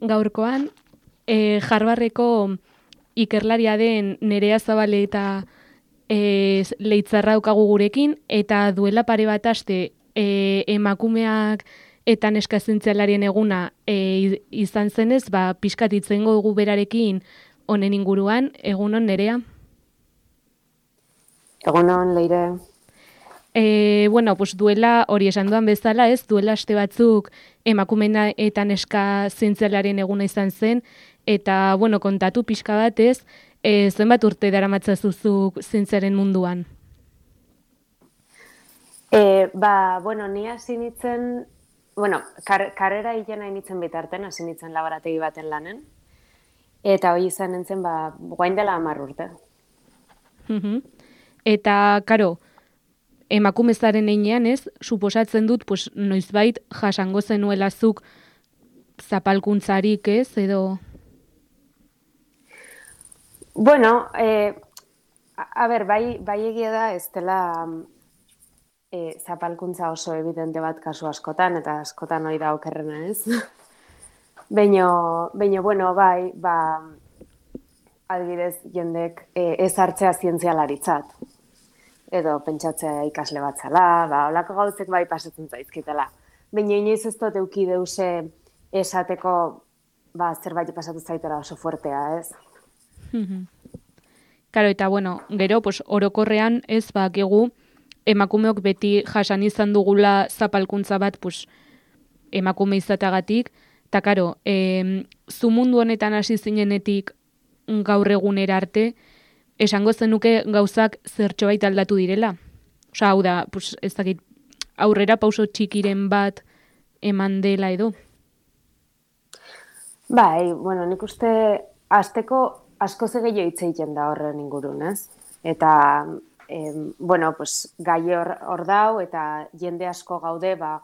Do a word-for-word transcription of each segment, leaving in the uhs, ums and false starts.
gaurkoan e, Harvardeko ikerlaria den Nerea Zabale eta e, Leitzarra daukagu gurekin, eta duela pare bat aste e, emakumeak eta neska zientzialarien eguna e, izan zenez, ba, pixkat hitz egingo dugu berarekin honen inguruan. Egunon, Nerea? Egunon, Leire. E, bueno, pues duela, hori esan duan bezala, ez, duela aste batzuk emakumena eta neska zientzialaren eguna izan zen, eta, bueno, kontatu pixka bat, ez, e, zenbat urte daramatzazuzuk zientziaren munduan? E, ba, bueno, ni hasi nintzen, bueno, kar, karrera hilena initzen bitarten, hasi nintzen laborategi baten lanen, eta hori izan nintzen, ba, guain dela hamar urte. Mhm. Eta, karo, emakumezaren einean, ez, suposatzen dut, pues, noizbait jasango zenuelazuk zapalkuntzarik, ez, edo... Bueno, eh, a, a ber, bai, bai egia da, ez dela eh, zapalkuntza oso evidente bat kasu askotan, eta askotan hori da okerrena, ez? Beino, beino, bueno, bai, ba, adibidez, jendek eh, ez hartzea zientzialaritzat. Edo pentsatzea ikasle bat zala, ba, holako gauzek bai pasatzen zaizkitela. Baina inoiz ez dut euki deuse esateko, ba, zerbait pasatu zaitela oso fuertea, ez? Karo, eta bueno, gero, pues, orokorrean ez bakigu emakumeok beti jasan izan dugula zapalkuntza bat, pues, emakume izatagatik, eta karo, e, zu mundu honetan hasi zinenetik gaur egunera arte, esango zenuke gauzak zertxobait aldatu direla. Osa, hau da, pues, ez dakit, aurrera pauso txikiren bat eman dela edo. Bai, bueno, nik uste hasteko asko ze gehiago hitz egiten da horren ingurun, ez? Eta, em, bueno, pues, gai hor, hor dau, eta jende asko gaude, ba,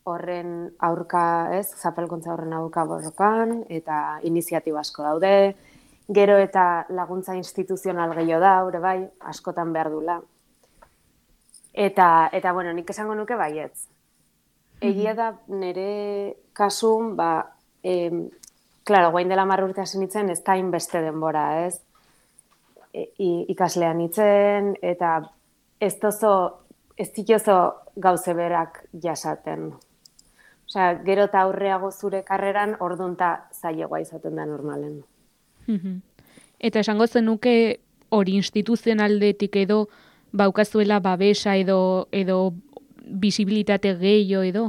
horren aurka, ez? Zapalkuntza horren aurka borrokan, eta iniziatiba asko daude, gero eta laguntza instituzional gehiago da, hori bai, askotan behar dula. Eta, eta bueno, nik esango nuke baietz. Egia da nire kasun, ba, em, klaro, guain dela hamar urte hasi nintzen, ez da inbeste denbora, ez? E, ikaslean nintzen, eta ez dozo, ez ditozo gauze berak jasaten. Osea, gero eta aurreago zure karreran, ordunta zailegoa izaten da normalen. Eta esango zenuke hori instituzionaldetik edo baukazuela babesa edo edo bisibilitate gehiago edo?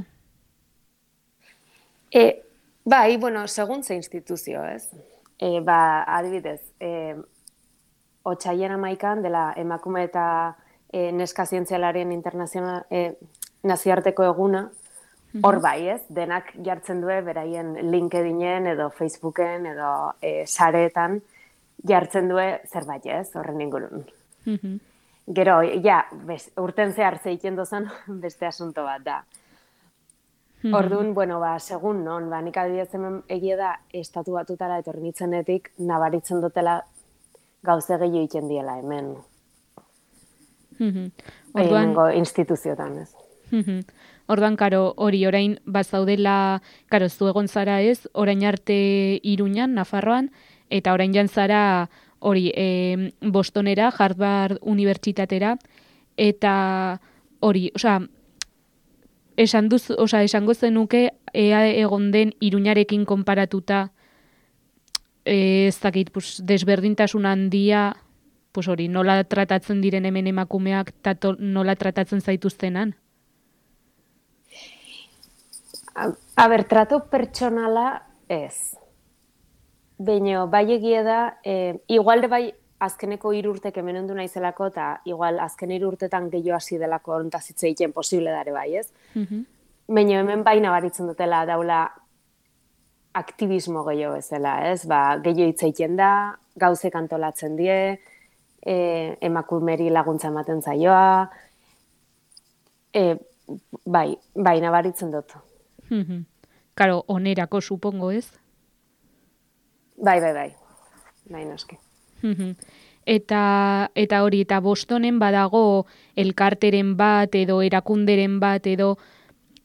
E, bai, bueno, segun ze instituzio, ez? E, ba, adibidez, e, otsaien hamaikan dela emakume eta e, neska zientzialarien internazional, e, nazioarteko eguna, hor bai, ez? Denak jartzen due beraien LinkedInen edo Facebooken edo e, sareetan jartzen due zerbait, ez? Horren ingurun. Gero, ja, bez, urten zehar zeiten dozan beste asunto bat da. Orduan, bueno, ba, segun non, ba, nik adibidez hemen egia da estatu batutara etorri nitzenetik nabaritzen dutela gauze gehiago egiten diela hemen. Orduan, hemengo instituziotan, ez. Orduan, karo, hori orain bazaudela, karo, zu egon zara ez, orain arte Iruñan, Nafarroan, eta orain jan zara hori e, Bostonera, Harvard Unibertsitatera, eta hori, osea, esan duz, osea, esango zenuke ea egon den Iruñarekin konparatuta e, ez dakit, pues, desberdintasun handia, pues hori, nola tratatzen diren hemen emakumeak, eta nola tratatzen zaituztenan? A, a ber, trato pertsonala ez. Baina, bai egia da, e, igual de bai azkeneko hiru urtek hemen ondu naizelako, eta igual azken hiru urtetan gehiago hasi delako hontaz hitz egiten posible dare bai, ez? Baina hemen bai nabaritzen dutela daula aktivismo gehiago bezala, ez? Ba, gehiago hitz egiten da, gauzek antolatzen die, e, emakumeri laguntza ematen zaioa, e, bai, bai nabaritzen dut. Karo, onerako, supongo, ez? Bai, bai, bai. Bai, noski. Eta, eta hori, eta Bostonen badago elkarteren bat, edo erakunderen bat, edo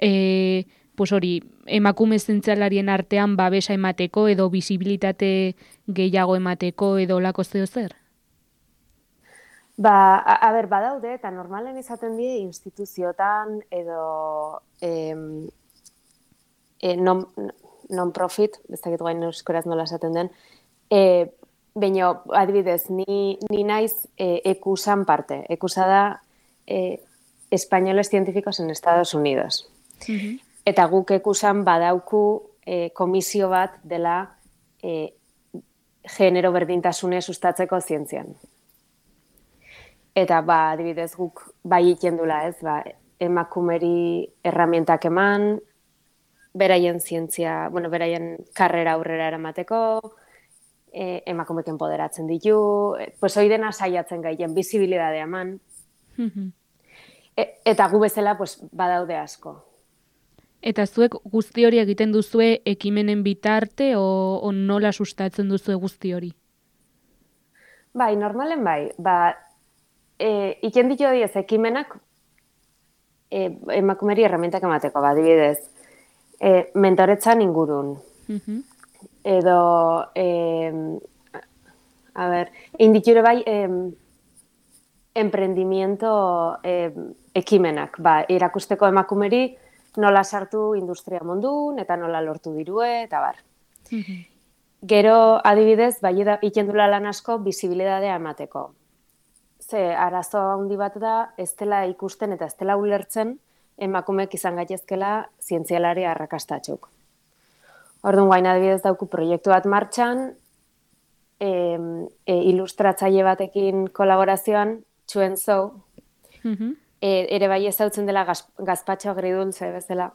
e, pues hori, emakume zientzialarien artean babesa emateko edo bisibilitate gehiago emateko edo lako zeo zer? Ba, a, a ber, badaude, eta normalen izaten die instituziotan edo em, e, non, non-profit, ez dakit guain euskaraz nola esaten den, e, baina, adibidez, ni, ni naiz e, ekusan parte. Ekusa da e, Españoles Científicos en Estados Unidos. Mhm. Eta guk ekusan badauku e, komisio bat dela e, genero berdintasune sustatzeko zientzian. Eta, ba, adibidez, guk bai ikendula, ez, ba, emakumeri erramientak eman, beraien zientzia, bueno, beraien karrera aurrera eramateko, e, emakumek enpoderatzen ditu, e, pues hoi dena saiatzen gaien, bizibilidadea eman, Mhm. e, eta gu bezala, pues, badaude asko. Eta zuek guzti hori egiten duzue ekimenen bitarte o, o nola sustatzen duzue guzti hori? Bai, normalen bai, ba, e, iken ditu diez ekimenak e, emakumeri erramientak emateko, ba, adibidez, e, mentoretzan ingurun, Mhm. edo, e, a ber, inditure bai, e, emprendimiento e, ekimenak, ba, irakusteko emakumeri nola sartu industria mundun, eta nola lortu dirue, eta bar. Mhm. Gero, adibidez, bai ikendula lan asko, bizibilidadea emateko. Ze, arazo handi bat da, ez dela ikusten eta ez dela ulertzen emakumeek izan gaitezkela zientzialari arrakastatxuk. Orduan, guain adibidez dauku proiektu bat martxan, e, e, ilustratzaile batekin kolaborazioan, Chuen Zhou, Mhm. e, ere bai ezautzen dela gaz, gazpatxo agridultze bezala.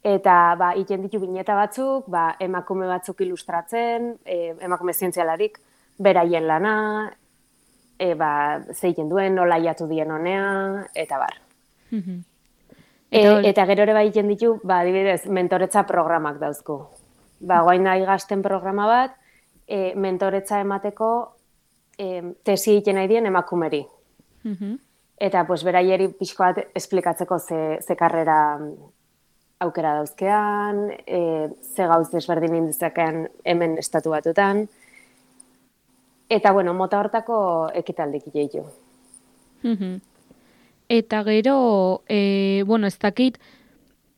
Eta, ba, iten ditu bineta batzuk, ba, emakume batzuk ilustratzen, e, emakume zientzialarik, beraien lana, e, ba, zeiten duen, nola jatu dien honea, eta bar. Mhm. E, Eta hor- eta gero ere bai iten ditu, ba, adibidez, mentoretza programak dauzku. Ba, guain nahi gazten programa bat, e, mentoretza emateko e, tesi egiten nahi dien emakumeri. Mhm. Eta, pues, beraieri pixko bat esplikatzeko ze, ze karrera aukera dauzkean, e, ze gauz desberdin indizakean hemen estatu batutan. Eta, bueno, mota hortako ekitaldik ditu. Mhm. Eta gero, e, bueno, ez dakit,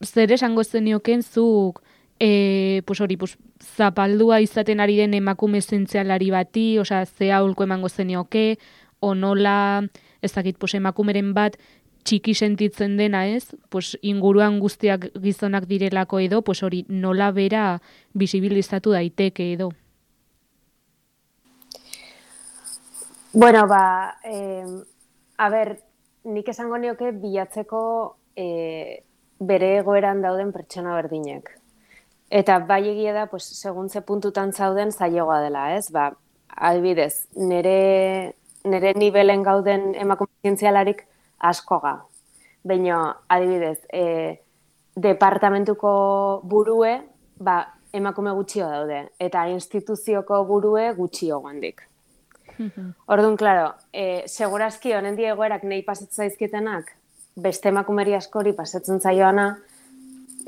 zer esango zenioken zuk, e, pues hori, pues, zapaldua izaten ari den emakume zientzialari bati, osea, ze aholku emango zenioke, o nola, ez dakit, pues, emakumeren bat txiki sentitzen dena, ez? Pues, inguruan guztiak gizonak direlako edo, pues hori, nola bera bisibilizatu daiteke edo. Bueno, ba, eh, a ber, nik esango nioke bilatzeko eh, bere egoeran dauden pertsona berdinek. Eta bai egia da, pues, segun ze puntutan zauden zailegoa dela, ez? Ba, adibidez, nere, nere nivelen gauden emakume zientzialarik askoga. Baina, adibidez, e, departamentuko burue, ba, emakume gutxio daude, eta instituzioko burue gutxio guandik. Mhm. Orduan, klaro, e, segurazki honen die egoerak nahi pasatzen zaizkitenak, beste emakumeri askori pasatzen zaioana,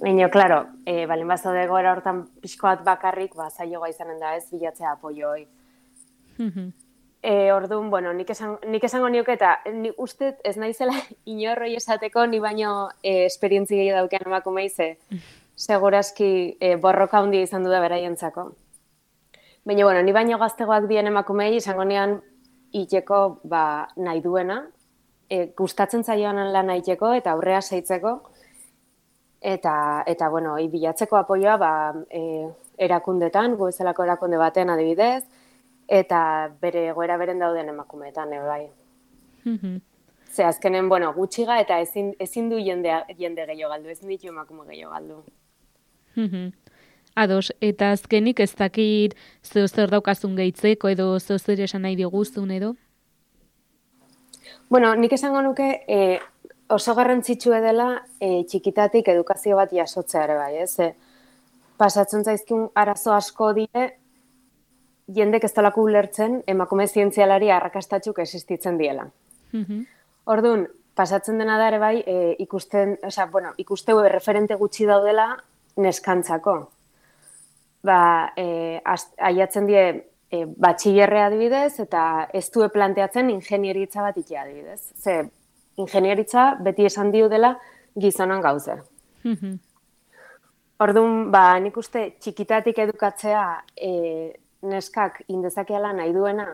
baina, klaro, e, balen bazaude egoera hortan pixko bat bakarrik, ba, zailoa izanen da ez, bilatzea apoioi. Mhm. E, orduan, bueno, nik, esan, nik esango nioke eta ni uste ez naizela inorroi esateko ni baino e, esperientzi gehiago daukean emakumei ze segurazki e, borroka handia izan du da beraientzako. Baina, bueno, ni baino gaztegoak dien emakumei izango nian iteko ba, nahi duena, e, gustatzen zaioan lan iteko eta aurrea seitzeko, eta, eta bueno, hi bilatzeko apoioa ba, e, erakundetan, gu bezalako erakunde baten adibidez, eta bere egoera beren dauden emakumeetan, e, bai. Mhm. Ze azkenen, bueno, gutxiga eta ezin, ezin du jende, jende gehiago galdu, ezin ditu emakume gehiago galdu. Mhm. Ados, eta azkenik ez dakit zeo zer daukazun gehitzeko edo zeo zer esan nahi diguzun edo? Bueno, nik esango nuke e, oso garrantzitsua dela e, txikitatik edukazio bat jasotzea ere bai, ez? E, pasatzen zaizkun arazo asko die, jendek ez dalako ulertzen emakume zientzialari arrakastatxuk existitzen diela. Mhm. Orduan, pasatzen dena da ere bai, e, ikusten, osea, bueno, ikusteu referente gutxi daudela neskantzako. Ba, e, aiatzen die e, batxillerre adibidez, eta ez due planteatzen ingenieritza bat ikia adibidez. Ze, ingenieritza beti esan diu dela gizonan gauze. Orduan, ba, nik uste txikitatik edukatzea e, neskak indezakeala nahi duena,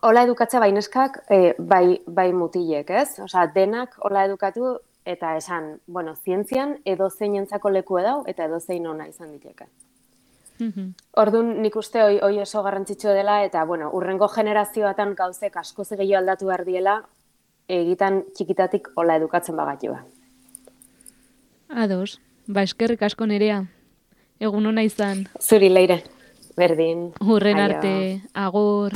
hola edukatzea bai neskak, e, bai, bai mutilek, ez? Osea, denak hola edukatu eta esan, bueno, zientzian edozein entzako leku edau eta edozein ona izan diteke. Mm-hmm. Orduan, nik uste hoi, hoi oso garrantzitsua dela eta, bueno, urrengo generazioatan gauzek askoz gehiago aldatu behar diela egitan txikitatik hola edukatzen bagatua. Ados, ba eskerrik asko Nerea. Egun ona izan. Zuri Leire, berdin. Hurren arte, agur.